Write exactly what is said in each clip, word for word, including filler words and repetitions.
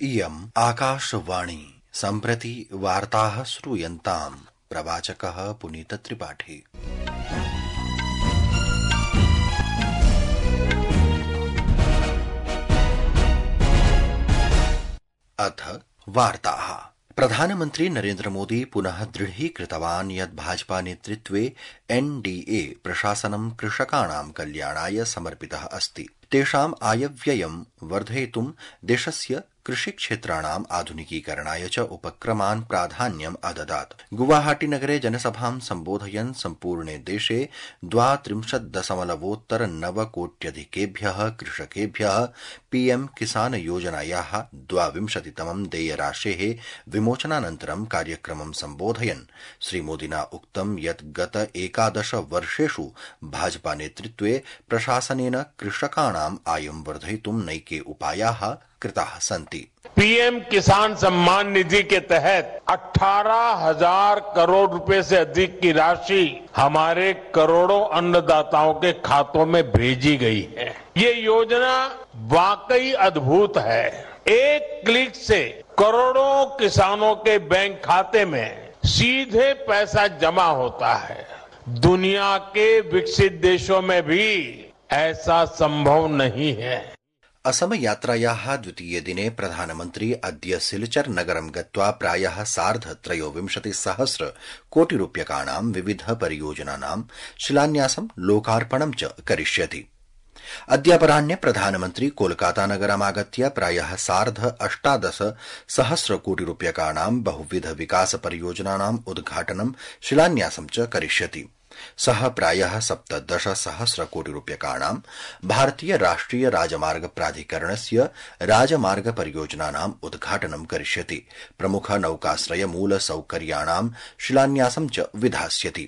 इयम् आकाशवाणी सम्प्रति वार्ताः श्रूयन्ताम्। प्रवाचकः पुनीत त्रिपाठी। अथ वार्ताः। प्रधानमन्त्री नरेन्द्र मोदी पुनः दृढीकृतवान् यत् भाजपा नेतृत्वे एनडीए प्रशासनं कृषकाणां कल्याणाय समर्पितः अस्ति। तेषाम् आयव्ययं वर्धयितुं देशस्य कृषिक्षेत्राणाम् आधुनिकीकरणाय च उपक्रमान् प्राधान्यम् अददात्। गुवाहाटी नगरे जनसभां सम्बोधयन् सम्पूर्णे देशे द्वात्रिंशत् दशमलवोत्तर नवकोट्यधिकेभ्यः कृषकेभ्यः पीएम किसान योजनायाः द्वाविंशतितमं देयराशेः विमोचनानन्तरं कार्यक्रमं सम्बोधयन् श्रीमोदिना उक्तं यत् गत एकादश वर्षेषु भाजपा नेतृत्वे प्रशासनेन कृषकाणाम् आयं वर्धयितुं नैके उपायाः कृताः सन्ति। पीएम किसान सम्मान निधि के तहत अठारह हजार करोड़ रुपए से अधिक की राशि हमारे करोड़ों अन्नदाताओं के खातों में भेजी गई है। ये योजना वाकई अद्भुत है। एक क्लिक से करोड़ों किसानों के बैंक खाते में सीधे पैसा जमा होता है। दुनिया के विकसित देशों में भी ऐसा संभव नहीं है। असम यात्रायाः द्वितीये दिने प्रधानमन्त्री अद्य सिलचर नगरं गत्वा प्रायः सार्ध त्रयोविंशति सहस्र कोटि रूप्यकाणां विविध परियोजनानां शिलान्यासं लोकार्पणं च करिष्यति। अद्यापराह्ने प्रधानमन्त्री कोलकाता नगरमागत्य प्रायः सार्ध अष्टादश सहस्र कोटि रूप्यकाणां बहुविध विकास परियोजनानाम् उद्घाटनं शिलान्यासं च करिष्यति। सः प्रायः सप्तदश सहस्र कोटि रूप्यकाणां भारतीय राष्ट्रिय राजमार्ग प्राधिकरणस्य राजमार्ग परियोजनानाम् उद्घाटनं करिष्यति। प्रमुख नौकाश्रय मूल सौकर्याणां शिलान्यासं च विधास्यति।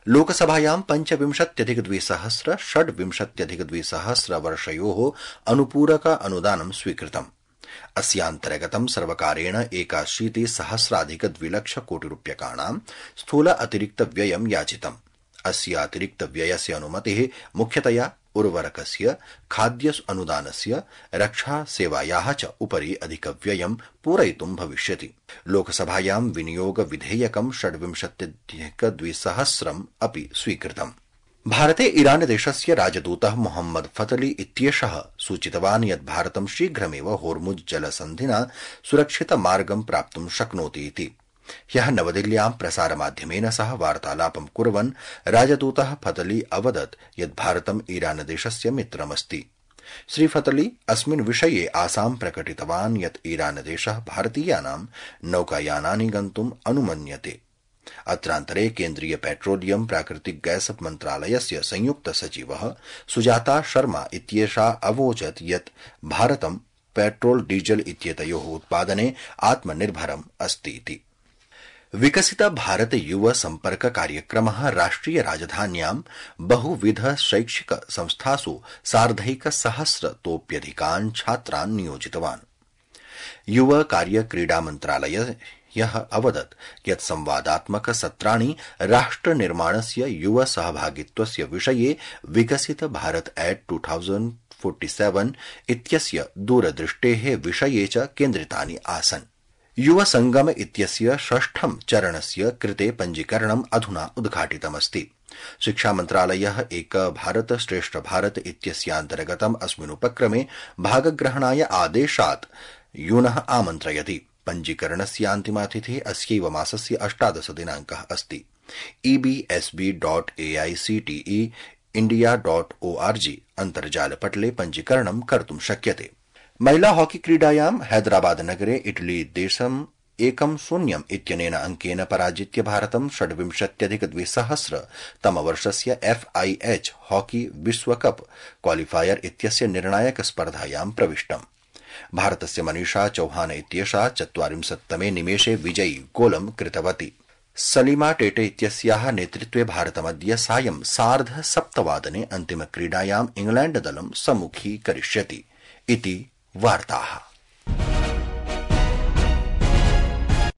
लोकसभायां पञ्चविंशत्यधिक द्विसहस्र षड्विंशत्यधिक द्विसहस्र वर्षयोः अनुपूरक अनुदानं स्वीकृतम्। अस्यान्तर्गतं सर्वकारेण एकाशीति सहस्राधिक द्विलक्ष कोटि रूप्यकाणां स्थूल अतिरिक्त व्ययं याचितम्। अस्य अतिरिक्त व्ययस्य अनुमतिः मुख्यतया उर्वरकस्य, खाद्य अनुदानस्य, रक्षा सेवायाः च उपरि अधिकव्ययं पूरयितुं भविष्यति। लोकसभायां विनियोग विधेयकं षड्विंशत्यधिक द्विसहस्रम् अपि स्वीकृतम्। भारते ईरान देशस्य राजदूतः मोहम्मद फतली इत्येषः सूचितवान् यत् भारतं शीघ्रमेव होर्मुज जलसन्धिना सुरक्षित मार्गं प्राप्तुं शक्नोति इति। ह्यः नवदिल्ल्यां प्रसारमाध्यमेन सह वार्तालापं कुर्वन् राजदूतः फतली अवदत् यत् भारतं ईरान देशस्य मित्रमस्ति। श्री फतली अस्मिन् विषये आशां प्रकटितवान् यत् ईरान देशः भारतीयानां नौकायानानि गन्तुम् अनुमन्यते। अत्रान्तरे केन्द्रीय पेट्रोलियम प्राकृतिक गैस मन्त्रालयस्य संयुक्त सचिवः सुजाता शर्मा इत्येषा अवोचत् यत् भारतं पेट्रोल डीजल इत्येतयोः उत्पादने आत्मनिर्भरम् अस्ति इति। विकसित भारत युव सम्पर्क कार्यक्रमः राष्ट्रिय राजधान्यां बहुविध शैक्षिक संस्थासु सार्धैक सहस्रतोऽप्यधिकान् छात्रान् नियोजितवान्। युव कार्य क्रीडा मन्त्रालय यः अवदत् यत् संवादात्मक सत्राणि राष्ट्र निर्माणस्य युव सहभागित्वस्य विषये Viksit Bharat at two thousand forty seven इत्यस्य दूरदृष्टेः विषये च केन्द्रितानि आसन्। युव संगम इत्यस्य षष्ठं चरणस्य कृते पञ्जीकरणम् अधुना उद्घाटितमस्ति। शिक्षा मन्त्रालयः एक भारत श्रेष्ठ भारत इत्यस्यान्तर्गतम् अस्मिन् उपक्रमे भागग्रहणाय आदेशात् यूनः आमन्त्रयति। पञ्जीकरणस्यान्तिमा तिथिः अस्यैव मासस्य अष्टादश दिनाङ्कः अस्ति। EBSB dot AICTE India dot ORG अन्तर्जालपटले पञ्जीकरणं कर्तुं शक्यते। महिला हॉकी क्रीडायां हैदराबाद नगरे इटली देशम् एकं शून्यम् इत्यनेन अंकेन पराजित्य भारतं षड्विंशत्यधिक द्विसहस्र तमवर्षस्य एफआईएच हॉकी विश्वकप क्वालिफायर इत्यस्य निर्णायक स्पर्धायां प्रविष्टम्। भारतस्य मनीषा चौहान इत्येषा चत्वारिंशत्तमे निमेषे विजयी गोलं कृतवती। सलीमा टेटे इत्यस्याः नेतृत्वे भारतमद्य सायं सार्ध सप्तवादने अन्तिमक्रीडायां इंग्लैण्ड दलं सम्मुखीकरिष्यति इति वार्ताः।